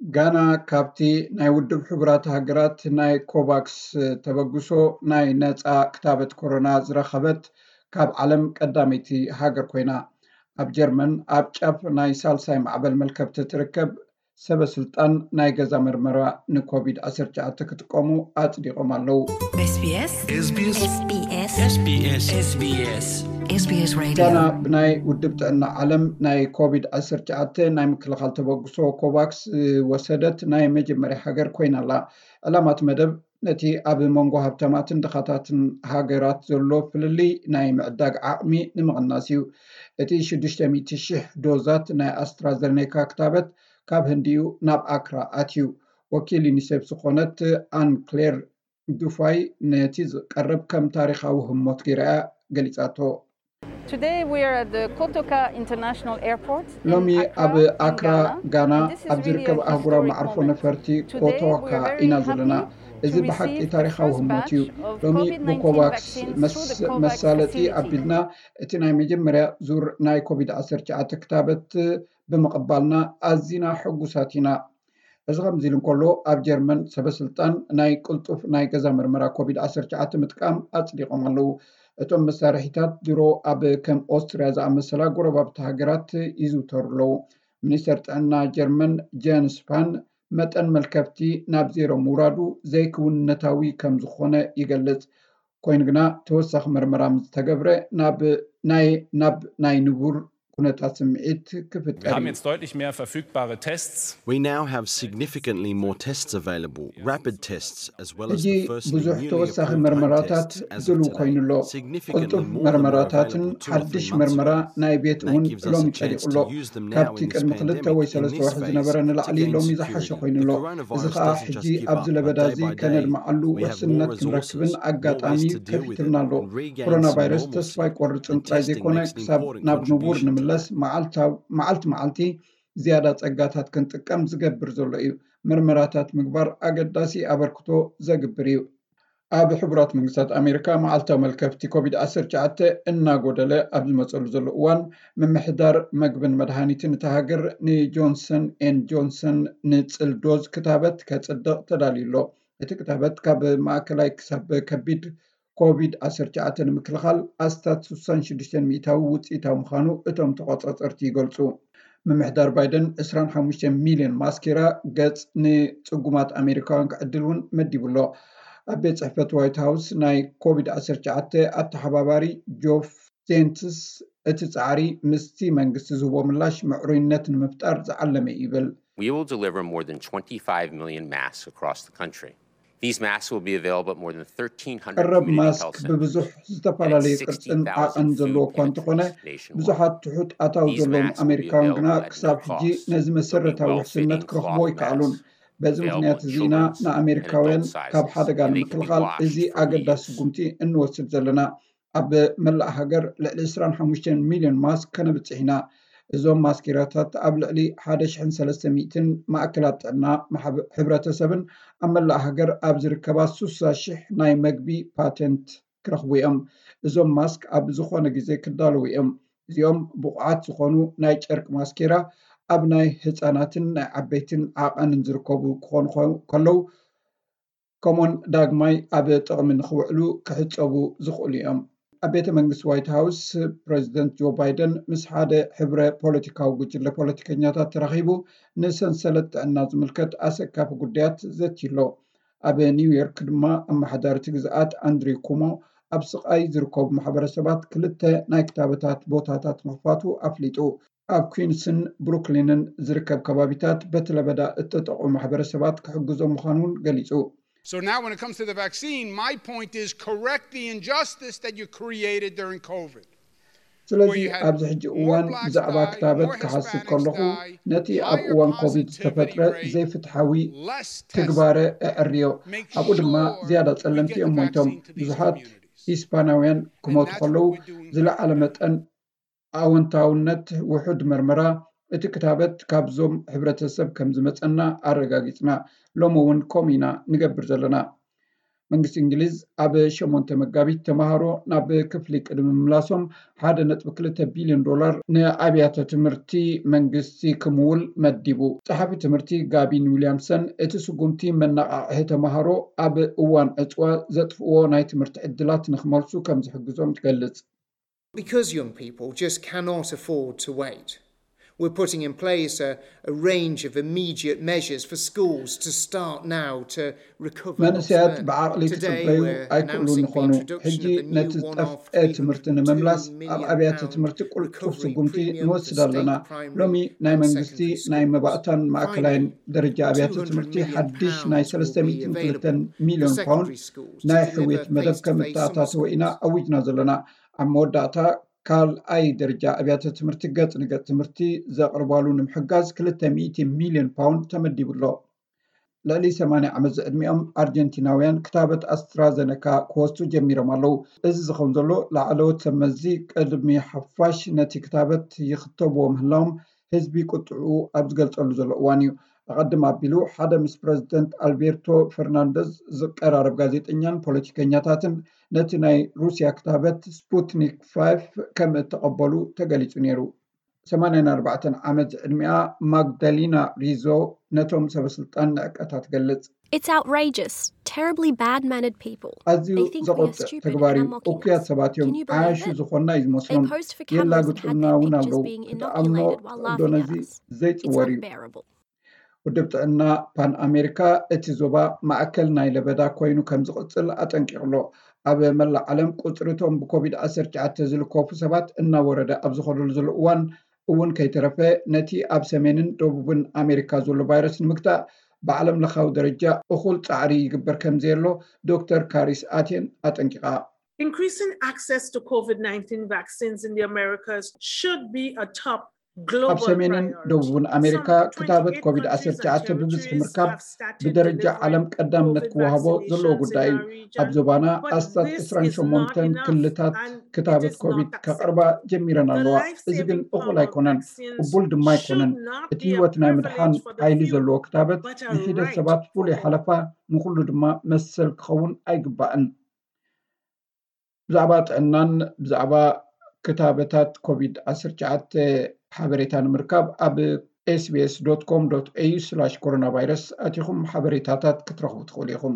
ጋና ካብቲ ናይ ውድብ ሕቡራት ሃገራት ናይ ኮቫክስ ተበግሶ ናይ ነፃ ክታበት ኮሮና ዝረኸበት ካብ ዓለም ቀዳመይቲ ሃገር ኮይና፣ ኣብ ጀርመን ኣብ ጫፍ ናይ ሳልሳይ ማዕበል መልከብቲ ትርከብ ሰበ ስልጣን ናይ ገዛ መርመራ ንኮቪድ ዓሰርተ ትሽዓተ ክጥቀሙ ኣጽዲቖም ኣለዉ። SBS SBS SBS SBS SBS SBS Radio ጋና ብናይ ውድብ ጥዕና ዓለም ናይ ኮቪድ ዓሰርተ ትሽዓተ ናይ ምክልኻል ተበግሶ ኮቫክስ ዝወሰደት ናይ መጀመርያ ሃገር ኮይና ኣላ። ዕላማት መደብ ነቲ ኣብ መንጎ ሃብታማትን ድኻታትን ሃገራት ዘሎ ፍልልይ ናይ ምዕዳግ ዓቕሚ ንምቕናስ እዩ። እቲ ሽዱሽተ ሚእቲ ሽሕ ዶዛት ናይ ኣስትራዘኔካ ክታበት ካብ ህንዲ እዩ ናብ ኣክራ ኣትዩ። ወኪል ዩኒሴፍ ዝኾነት ኣን ክሌር ዱፋይ ነቲ ዝቀርብ ከም ታሪኻዊ ህሞት ገይራ እያ ገሊጻቶ። Today we are at the Kotoka International Airport in ሎሚ Accra ኣብ in ኣክራ Ghana. ጋና And this is ኣብ really ዝርከብ a ኣህጉራዊ historic መዓርፎ moment. ነፈርቲ Today ኮቶካ we are very ኢና ዘለና። Happy እዚ to ብሓቂ receive the ታሪኻዊ first ህሞት እዩ። Batch of ሎሚ COVID nineteen ብኮቫክስ vaccines መስ- through the COVAX መሳለጢ facility. ኣቢልና እቲ ናይ መጀመርያ ዙር ናይ ኮቪድ ዓሰርተ ትሽዓተ ክታበት ብምቕባልና ኣዚና ሕጉሳት ኢና። እዚ ከምዚ ኢሉ እንከሎ፣ ኣብ ጀርመን ሰበስልጣን ናይ ቅልጡፍ ናይ ገዛ መርመራ ኮቪድ ዓሰርተ ትሽዓተ ምጥቃም ኣጽዲቖም ኣለዉ። እቶም መሳርሒታት ድሮ ኣብ ከም ኦስትርያ ዝኣመሰላ ጎረባብቲ ሃገራት ይዝውተሩ ኣለዉ። ሚኒስተር ጥዕና ጀርመን ጀንስ ስፓን መጠን መልከፍቲ ናብ ዜሮ ምውራዱ ዘይክውንነታዊ ከም ዝኾነ ይገልጽ። ኮይኑ ግና ተወሳኺ መርመራ ምስ ተገብረ ናብ ናይ ናብ ናይ ንቡር ኩነታት ስምዒት ክፍጠር Wir haben እዩ። Jetzt deutlich mehr verfügbare Tests. We now have significantly more tests available, rapid tests, as well as ሕጂ the first ብዙሕ immunely ተወሳኺ approved home መርመራታት test as of ድሉው today. ኮይኑ ኣሎ። Significantly ቅልጡፍ more than were መርመራታትን available two or ሓድሽ three months መርመራ ago. ናይ ቤት እውን ሎሚ ጸዲቑ ኣሎ። That gives us a chance to use them now in this pandemic, in this phase, to give us a chance to use them now in this pandemic, in this phase, to give us a chance to use them now in this phase, to give us a chance to ጸዲቑ ኣሎ። ካብቲ ቅድሚ ክልተ ወይ ሰለስተ ወርሒ ዝነበረ ንላዕሊ ሎሚ ዝሓሸ ኮይኑ ኣሎ። እዚ ከዓ ሕጂ ኣብዚ ለበዳ እዚ ከነድምዓሉ ውሕስነት ክንረክብን ኣጋጣሚ ከፊትልና ኣሎ። ኮሮና ቫይረስ ተስፋ ኣይቆርጽን ጥራይ ዘይኮነ፣ ክሳብ ናብ ንቡር ንምለስ መዓልቲ መዓልቲ ዝያዳ ጸጋታት ክንጥቀም ዝገብር ዘሎ እዩ። መርመራታት ምግባር ኣገዳሲ ኣበርክቶ ዘግብር እዩ። ኣብ ሕቡራት መንግስታት ኣሜሪካ መዓልታዊ መልከፍቲ ኮቪድ ዓሰርተ ትሽዓተ እናጎደለ ኣብ ዝመፀሉ ዘሎ እዋን፣ ምምሕዳር መግብን መድሃኒትን እታ ሃገር ንጆንሰን ኤን ጆንሰን ንፅል ዶዝ ክታበት ከፅድቕ ተዳልዩ ኣሎ። እቲ ክታበት ካብ ማእከላይ ክሳብ ከቢድ ኮቪድ ዓሰርተ ትሽዓተ ንምክልኻል ኣስታት ስሳን ሽዱሽተን ሚእታዊ ውፅኢታዊ ምዃኑ እቶም ተቆፃፀርቲ ይገልፁ። ምምሕዳር ባይደን ዕስራን ሓሙሽተ ሚልዮን ማስኬራ ገጽ ንጽጉማት ኣሜሪካውያን ክዕድል እውን መዲቡ ኣሎ። ኣብ ቤት ጽሕፈት ዋይት ሃውስ ናይ ኮቪድ ዓሰርተ ትሽዓተ ኣተሓባባሪ ጆፍ ዜንትስ፣ እቲ ጻዕሪ ምስቲ መንግስቲ ዝህቦ ምላሽ ምዕሩይነት ንምፍጣር ዝዓለመ እዩ ይብል። We will deliver more than twenty-five million masks across the country. These masks will be available at more than thirteen hundred ቀረብ community ማስክ health centers ብብዙሕ and ዝተፈላለዩ ቅርጽን ዓቐን ዘለዎ እኳ እንተኾነ፣ ብዙሓት ትሑት ኣታዊ ዘለዎም ኣሜሪካውያን ግና ክሳብ ሕጂ ነዚ መሰረታዊ ውሕስነት ክረኽቦ ኣይከኣሉን። በዚ ምኽንያት እዚ ኢና ንኣሜሪካውያን ካብ ሓደጋ ንምክልኻል እዚ ኣገዳሲ ስጉምቲ እንወስድ ዘለና። ኣብ መላእ ሃገር ልዕሊ ዕስራን ሓሙሽተን ሚልዮን ማስክ ከነብጽሕ ኢና። እዞም ማስኬራታት ኣብ ልዕሊ ሓደ ሽሕን ሰለስተ ሚእትን ማእከላት ጥዕና ማሕበ-፣ ሕብረተሰብን ኣብ መላእ ሃገር ኣብ ዝርከባ ስሳ ሽሕ ናይ መግቢ ፓቴንት ክረኽቡ እዮም። እዞም ማስክ ኣብ ዝኾነ ግዜ ክዳለዉ እዮም። እዚኦም ብቑዓት ዝኾኑ ናይ ጨርቂ ማስኬራ ኣብ ናይ ህጻናትን ናይ ዓበይትን ዓቐንን ዝርከቡ ክኾኑ ከ-፣ ከለዉ፣ ከምኡውን ዳግማይ ኣብ ጥቕሚ ንኽውዕሉ ክሕጸቡ ዝኽእሉ እዮም። ኣብ ቤተ መንግስቲ ዋይት ሃውስ፣ ፕሬዚደንት ጆ ባይደን ምስ ሓደ ሕብረ ፖለቲካዊ ጉጅለ ፖለቲከኛታት ተራኺቡ ንሰንሰለት ጥዕና ዝምልከት ኣሰካፊ ጉዳያት ዘትዩ ኣሎ። ኣብ ኒውዮርክ ድማ ኣመሓዳሪ እቲ ግዝኣት ኣንድሪው ኩሞ ኣብ ስቓይ ዝርከቡ ማሕበረሰባት ክልተ ናይ ክታበታት ቦታታት ምኽፋቱ ኣፍሊጡ። ኣብ ኩንስን ብሩክሊንን ዝርከብ ከባቢታት በቲ ለበዳ እተጠቕዑ ማሕበረሰባት ክሕግዞም ምዃኑ እውን ገሊጹ። So now when it comes to the vaccine, my point is correct the injustice that you created during COVID. ስለዚ ኣብዚ ሕጂ እዋን ብዛዕባ ክታበት ክሓስብ ከለኹ፣ ነቲ ኣብ እዋን ኮቪድ ዝተፈጥረ ዘይፍትሓዊ ትግባረ እዕርዮ። ኣብኡ ድማ ዝያዳ ጸለምቲ እዮም ሞይቶም። ብዙሓት ሂስፓናውያን ክሞቱ ከለዉ፣ ዝለዓለ መጠን ኣወንታውነት ውሑድ መርመራ እቲ ክታበት ካብዞም ሕብረተሰብ ከም ዝመጸና ኣረጋጊጽና። ሎሚ እውን ከምኡ ኢና ንገብር ዘለና። መንግስቲ እንግሊዝ ኣብ ሸሞንተ መጋቢት ተምሃሮ ናብ ክፍሊ ቅድሚ ምምላሶም ሓደ ነጥቢ ክልተ ቢልዮን ዶላር ንኣብያተ ትምህርቲ መንግስቲ ክምውል መዲቡ። ጸሓፊ ትምህርቲ ጋቢን ዊልያምሰን እቲ ስጉምቲ መነቓቕሒ ተምሃሮ ኣብ እዋን ዕጽዋ ዘጥፍእዎ ናይ ትምህርቲ ዕድላት ንክመልሱ ከም ዝሕግዞም ትገልጽ። Because young people just cannot afford to wait, we're putting in place a, a range of immediate measures for schools to start now to recover. መንእሰያት ብዓቕሊ ክጽበዩ ኣይክእሉን ይኾኑ። ሕጂ ነቲ ዝጠፍአ ትምህርቲ ንምምላስ ኣብ ኣብያተ ትምህርቲ ቁልጡፍ ስጉምቲ ንወስድ ኣለና። ሎሚ ናይ መንግስቲ ናይ መባእታን ማእከላይን ደረጃ ኣብያተ ትምህርቲ ሓድሽ ናይ ሰለስተ ሚእትን ክልተን ሚልዮን ፓውንድ ናይ ሕውየት መደብ ከም እተኣታተወ ኢና ኣዊጅና ዘለና። ኣብ መወዳእታ ካልኣይ ደረጃ ኣብያተ ትምህርቲ ገጽ ንገጽ ትምህርቲ ዘቕርባሉ ንምሕጋዝ ክልተ ሚእቲ ሚልዮን ፓውንድ ተመዲቡ ኣሎ። ልዕሊ ሰማንያ ዓመት ዝዕድሚኦም ኣርጀንቲናውያን ክታበት ኣስትራዘነካ ክወስዱ ጀሚሮም ኣለዉ። እዚ ዝኸውን ዘሎ ላዕለዎት ሰብ መዚ ቅድሚ ሓፋሽ ነቲ ክታበት ይኽተብዎ ምህላዎም ህዝቢ ቁጥዕኡ ኣብ ዝገልጸሉ ዘሎ እዋን እዩ። ኣቐድም ኣቢሉ ሓደ ምስ ፕረዚደንት ኣልቤርቶ ፈርናንደዝ ዝቀራረብ ጋዜጠኛን ፖለቲከኛታትን ነቲ ናይ ሩስያ ክታበት ስፑትኒክ ፋይፍ ከም እተቐበሉ ተገሊጹ ነይሩ። ሰማንያን ኣርባዕተን ዓመት ዕድሚኣ ማግዳሊና ሪዞ ነቶም ሰበስልጣን ንዕቀታ ትገልጽ። It's outrageous, terribly bad-mannered people. ኣዝዩ ዘቆጥዕ ተግባር እዩ። እኩያት ሰባት እዮም። ዓያሹ ዝኾንና እዩ ዝመስሎም። የላግጹልና እውን ኣለዉ። ክትኣምኖ ትኽእልዶ ነዚ ዘይጽወር እዩ። ውድብ ጥዕና ፓን ኣሜሪካ እቲ ዞባ ማእከል ናይ ለበዳ ኮይኑ ከም ዝቕጽል ኣጠንቂቑ ኣሎ። ኣብ መላእ ዓለም ቁጽሪ እቶም ብኮቪድ ዓሰርተ ትሽዓተ ዝልከፉ ሰባት እናወረደ ኣብ ዝኸደሉ ዘሎ እዋን እውን ከይተረፈ ነቲ ኣብ ሰሜንን ደቡብን ኣሜሪካ ዘሎ ቫይረስ ንምግታእ ብዓለም ለኻዊ ደረጃ እኹል ጻዕሪ ይግበር ከም ዘየሎ ዶክተር ካሪስ ኣቴን ኣጠንቂቓ። Increasing access to COVID nineteen vaccines in the Americas should be a top global ኣብ ሰሜንን ደቡብን ኣሜሪካ ክታበት ኮቪድ ዓሰርተ ትሽዓተ ብብዝሒ ምርካብ ብደረጃ ዓለም ቀዳምነት ክወሃቦ ዘለዎ ጉዳይ እዩ። ኣብ ዞባና ኣስታት ዕስራን ሸሞንተን ክልታት ክታበት ኮቪድ ከቕርባ ጀሚረን ኣለዋ። እዚ ግን እኹል ኣይኮነን፣ ቅቡል ድማ ኣይኮነን። እቲ ህይወት ናይ ምድሓን ሓይሊ ዘለዎ ክታበት ንሒደት ሰባት ፍሉይ ሓለፋ፣ ንኹሉ ድማ መሰል ክኸውን ኣይግባእን። ብዛዕባ ጥዕናን ብዛዕባ ክታበታት ኮቪድ ዓሰርተ ትሽዓተ ሓበሬታ ንምርካብ ኣብ ኤስቢኤስ ዶት ኮም ዶት ኤዩ ስላሽ ኮሮና ቫይረስ ኣቲኹም ሓበሬታታት ክትረኽቡ ትኽእሉ ኢኹም።